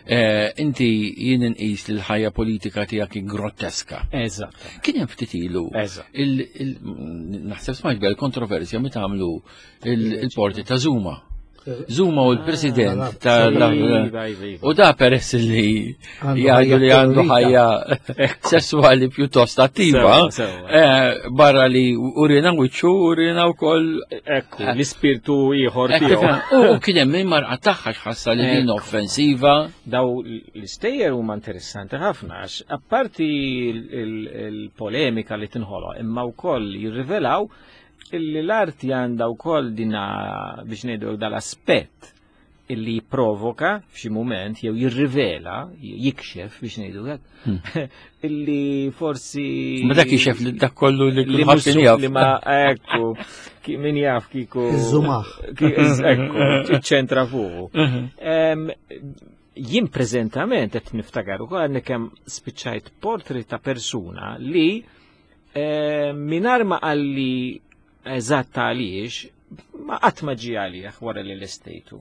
eh, inti jien inqis li l-ħajja politika tiegħek grotteska. Eżatt. Kien hemm ftit ilu. Naħseb smajt bel kontroversja meta għamlu il-porti ta' Zuma. Zuma u l-president ah, tal iva, iva, iva. U da peress li jgħidu li għandu ħajja sessuali pjuttost attiva, eh, barra li urina wiċċu, urina wkoll. Ekku, l-ispirtu ieħor tiegħu. U kien hemm min marqa tagħha x'ħassa li din offensiva. Daw l-istejjer huma interessanti ħafna għax apparti il-polemika li tinħoloq imma wkoll jirrivelaw illi l-arti għandha wkoll dina biex ngħidu dal-aspett illi jipprovoka f'xi mument jew jirrivela, jikxef biex ngħidu hekk, hmm. illi forsi. Ma dak jikxef li dak kollu li kulħadd kien jaf. Li ma ekku, min jaf kiku. Iż-żumaħ. Ekku, iċ-ċentra fuqu. Mhm. Jien preżentament qed niftakar ukoll għandni kemm spiċċajt portrait ta' persuna li eh, mingħajr ma qalli eżatt għaliex, ma qatt ma ġie għalih wara li lestejtu.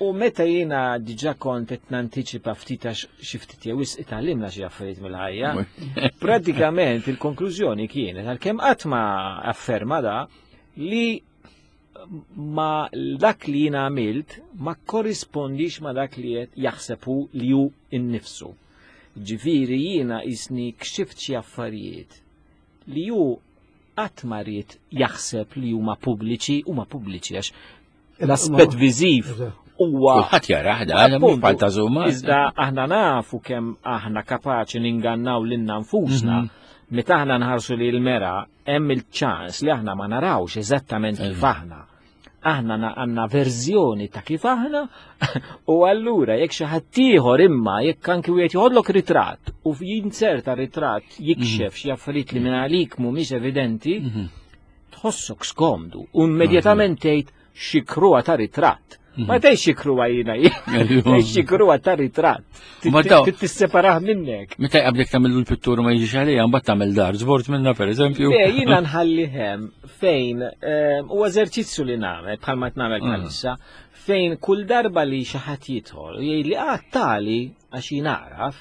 U meta jiena diġà kont qed nantiċipa ftit għax xi ftit jew wisq itgħallimna xi affarijiet mill-ħajja, pratikament il-konklużjoni kienet għalkemm qatt ma afferma da li ma dak li jiena għamilt ma korrispondix ma dak li qed jaħseb hu li hu innifsu. Ġifieri jiena qisni kxift xi affarijiet li hu qatt ma ried jaħseb li huma pubbliċi, huma pubbliċi għax l-aspett viżiv huwa. Kulħadd jarah dan mhux bħal ta' Zuma. Iżda aħna nafu kemm aħna kapaċi ningannaw lilna nfusna. Mhm. Meta aħna nħarsu li l-mera hemm il-ċans li aħna ma narawx eżattament kif aħna. Aħna għandna verżjoni ta' kif aħna u allura jekk xi ħadd ieħor imma jekk anki wieħed joħodlok ritratt u jinserta ritratt jikxef mhm. xi affarijiet li minn għalik mhumiex evidenti, mhm. tħossok skomdu u immedjatament tgħid xi kruha ta' ritratt. Ma tgħidx jikruha jiena, tgħidx jikruha ta' ritratt. Tisseparah minnek. Meta jqablek tagħmel l-pittura ma jiġix għalija, mbagħad tagħmel dar żbort minna pereżempju. Le, jiena nħalli hemm fejn u eżerċizzju li nagħmel bħalma qed nagħmel bħalissa, fejn kull darba li xi ħadd jidħol u jgħidli ah tali għax jien nagħraf,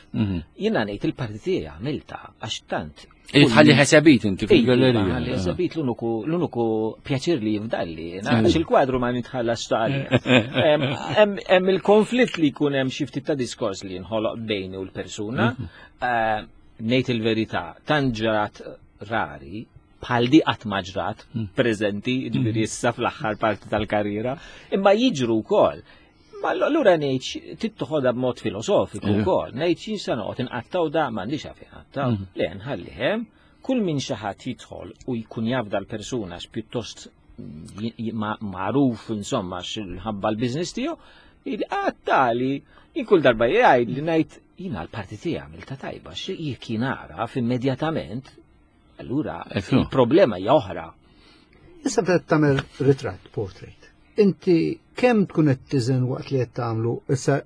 jiena ngħid il-parti tiegħi għamilta għax tant. Tħalli ħesebit inti fil-gallerija. Tħalli ħesebit l-uniku pjaċir li jifdalli, għax il-kwadru ma nitħallas tali. Hemm il-konflitt li jkun hemm xi ftit ta' diskors li jinħoloq bejni u l-persuna. Ngħid il-verità, tant ġrat rari, bħal di qatt ma ġrat preżenti, ġifieri issa fl-aħħar parti tal-karriera, imma jiġru wkoll. Ma allura ngħid tittoħodha b'mod filosofiku wkoll, ngħid xi se noqgħod inqattaw da m'għandix għalfejn inqattaw. Le nħalli hemm kull min xi ħadd jidħol u jkun jaf dal-persuna pjuttost magħruf insomma x'ħabba l-business tiegħu, għattali jien kull darba jgħid li ngħid jiena l-parti tiegħi għamilta tajba, jekk jien nagħraf immedjatament, allura il-problema hija oħra. Issa bdet tagħmel ritratt, portrait. Inti kemm tkun qed tiżen waqt li qed tagħmlu, issa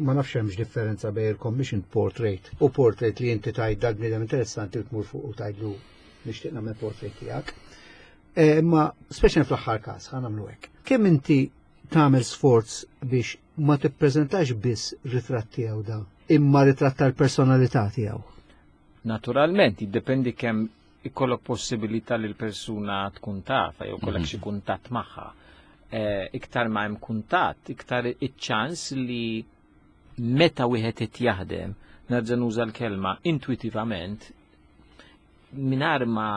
ma nafx hemmx differenza bejn il-commissioned portrait u portrait li inti tgħid dal bniedem interessanti u tmur fuq u tgħidlu nixtieq nagħmel portrait tiegħek. Imma speċjalment fl-aħħar każ ħa nagħmlu hekk. Kemm inti tagħmel sforz biex ma tippreżentax biss ritratt tiegħu da, imma ritratt tal-personalità tiegħu? Naturalment, jiddependi kemm ikollok possibilità li l-persuna tkun tafa jew kollok xi kuntatt magħha. Iktar ma hemm kuntatt, iktar iċ-ċans li meta wieħed qed jaħdem, nerġa' nuża l-kelma intuitivament, mingħajr ma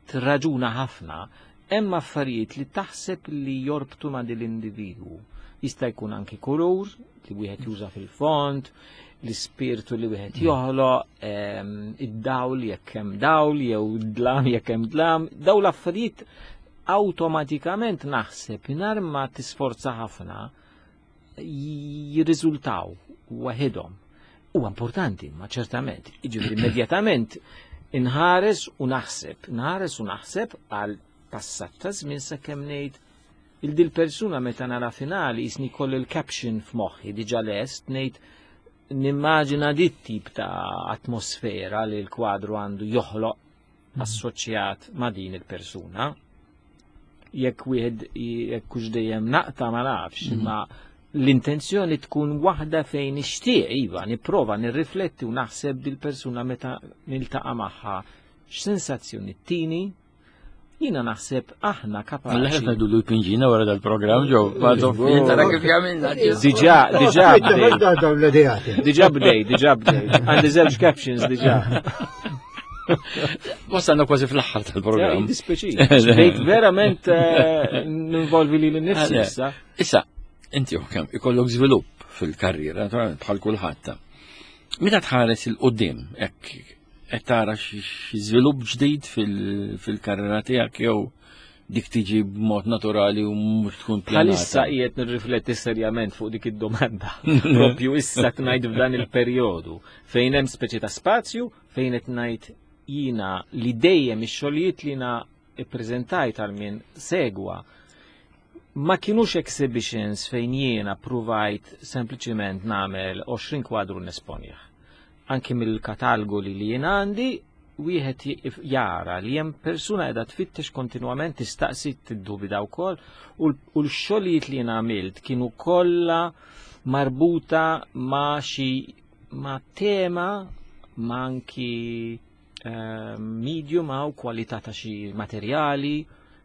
tirraġuna ħafna, hemm affarijiet li taħseb li jorbtu ma' din l-individwu. Jista' jkun anki kulur li wieħed juża fil-fond, l-ispirtu li wieħed joħloq, id-dawl jekk hemm dawl jew dlam jekk hemm dlam, daw l-affarijiet awtomatikament naħseb mingħajr ma tisforza ħafna jirriżultaw waħedhom. Huwa importanti, ma ċertament, jiġifieri immedjatament inħares u naħseb, nħares u naħseb għal passat ta' żmien sakemm ngħid il-dil persuna meta nara finali jisni koll il-caption f'moħħi diġà lest ngħid nimmaġina dit tip ta' atmosfera li l-kwadru għandu joħloq assoċjat ma' din il-persuna. Jekk wieħed jekk hux dejjem naqta ma nafx, imma l-intenzjoni tkun waħda fejn nixtieq iva, nipprova nirrifletti u naħseb dil-persuna meta niltaqa' magħha x'sensazzjoni tini. Jiena naħseb aħna kapaċi. Alla ħed ngħidu l-pinġina wara dal-programm ġew, ma tara kif jagħmilna. Diġà, diġà bdej. Dawn l-ideati. Diġà bdej, diġà bdej. Għandi żewġ captions diġà. Wasalna kważi fl-aħħar tal-programm. Dispeċi. Bdejt verament ninvolvi li l-nifsi issa. Issa, inti kemm ikollok żvilupp fil-karriera, naturalment bħal kulħadd. Meta tħares il-qudiem hekk qed tara xi żvilupp ġdid fil-karriera tiegħek jew dik tiġi b'mod naturali u mhux tkun pjanata. Bħalissa qiegħed nirrifletti serjament fuq dik id-domanda. Propju issa ngħid f'dan il-perjodu fejn hemm speċi ta' spazju fejn qed ngħid jiena li dejjem ix-xogħlijiet li jiena ippreżentajt għal min segwa ma kienux exhibitions fejn jiena provajt sempliċiment nagħmel 20 kwadru nesponjah. Anki mill-katalgu li li jien għandi, wieħed jara li hemm persuna qiegħda tfittex kontinwament tistaqsi tiddubida wkoll u l-xogħlijiet li jien għamilt kienu kollha marbuta ma' xi ma' tema ma' anki medium għaw kwalità ta' xi materjali.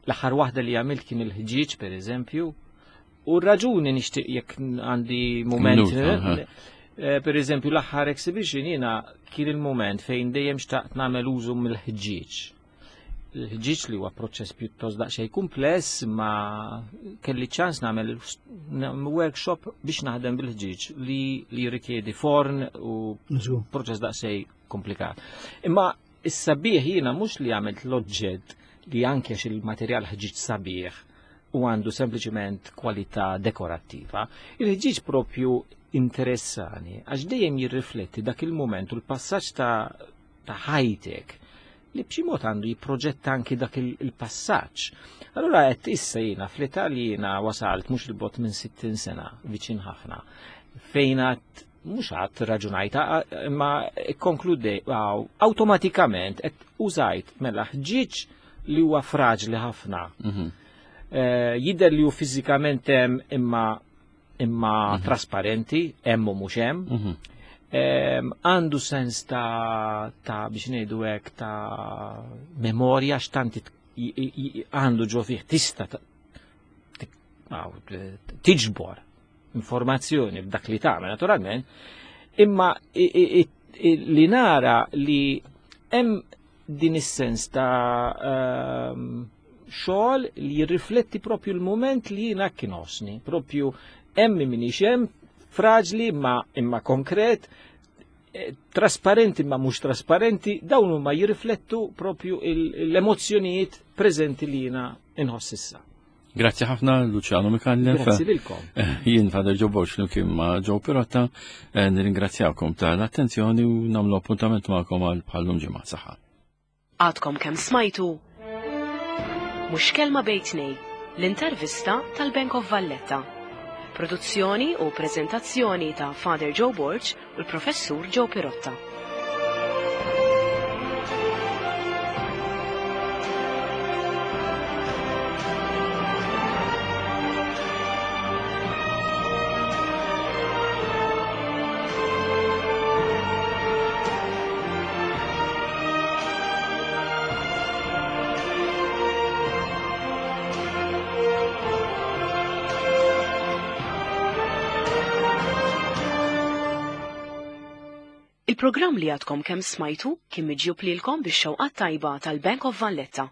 L-aħħar waħda li għamilt kien il-ħġieġ per eżempju. U r-raġuni nixtieq jekk għandi moment. Minuta, Per eżempju, l-aħħar exhibition jiena kien il-moment fejn dejjem xtaqt nagħmel użu mill-ħġieġ. Il-ħġieġ li huwa proċess pjuttost daqsxejn kumpless, ma kelli ċans nagħmel workshop biex naħdem bil-ħġieġ li jirrikjedi forn u proċess daqsxejn komplikat. Imma is-sabiħ jiena mhux li għamilt l-oġġett li anke il-materjal ħġieġ sabiħ u għandu sempliċiment kwalità dekorattiva. Il-ħġieġ propju interessani għax dejjem jirrifletti dak il-moment u l-passaġġ ta' ħajtek. li b'xi mod għandu jipproġetta anki dak il-passaġġ. Allura qed issa jiena fl-Italja jiena wasalt mhux il-bot minn 60 sena viċin ħafna fejn għad mhux għad raġunajta imma konkludej awtomatikament qed użajt mela ħġieġ li huwa fraġli ħafna. Eh, jidher li hu fiżikament hemm imma imma mhm. trasparenti, hemm u mhux hemm. Mhm. Għandu sens ta', ta biex ngħidu hekk ta' memorja x'tant għandu ġo fih tista' tiġbor informazzjoni b'dak li tagħmel naturalment, imma li nara li hemm din is-sens ta' xogħol li jirrifletti propju l-moment li jiena kien osni, propju hemm minix hemm, fraġli imma imma konkret, eh, trasparenti ma mhux trasparenti, dawn huma jirriflettu propju l-emozzjonijiet preżenti li jiena inħoss issa. Grazzi ħafna Luciano Mikallef. Grazzi lilkom. Eh, jien Father Joe Borg kien ma' Joe Pirotta, eh, nirringrazzjakom tal-attenzjoni u nagħmlu appuntament magħkom għal bħallum ġimgħa saħħa. Għadkom kemm smajtu Mhux kelma bejn tnej, l-intervista tal-Bank of Valletta. Produzzjoni u preżentazzjoni ta' Father Joe Borg u l-Professur Joe Pirotta. Il-programm li għadkom kemm smajtu kien miġjub lilkom bix-xewqat tajba tal-Bank of Valletta.